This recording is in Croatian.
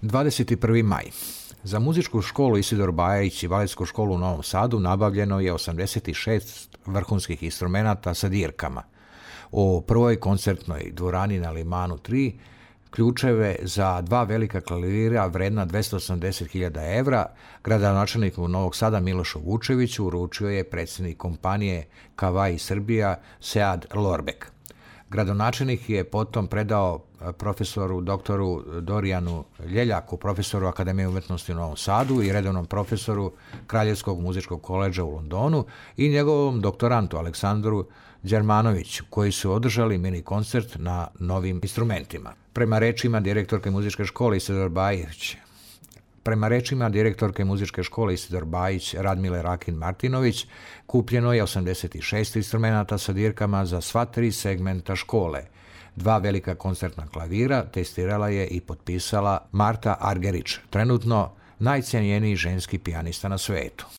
21. maj. Za muzičku školu Isidor Bajić i baletsku školu u Novom Sadu nabavljeno je 86 vrhunskih instrumenata sa dirkama. U prvoj koncertnoj dvorani na Limanu 3 ključeve za 2 velika klavira vredna 280.000 evra gradonačelniku Novog Sada Milošu Vučeviću uručio je predsjednik kompanije Kavai Srbija Sead Lorbek. Gradonačelnik je potom predao profesoru doktoru Dorijanu Ljeljaku, profesoru Akademije umjetnosti u Novom Sadu i redovnom profesoru Kraljevskog muzičkog koledža u Londonu i njegovom doktorantu Aleksandru Đermanoviću, koji su održali mini koncert na novim instrumentima. Prema rečima direktorke muzičke škole Isidor Bajić Radmile Rakin Martinović, kupljeno je 86 instrumenata sa dirkama za sva 3 segmenta škole. 2 velika koncertna klavira testirala je i potpisala Marta Argerić, trenutno najcijenjeniji ženski pijanista na svetu.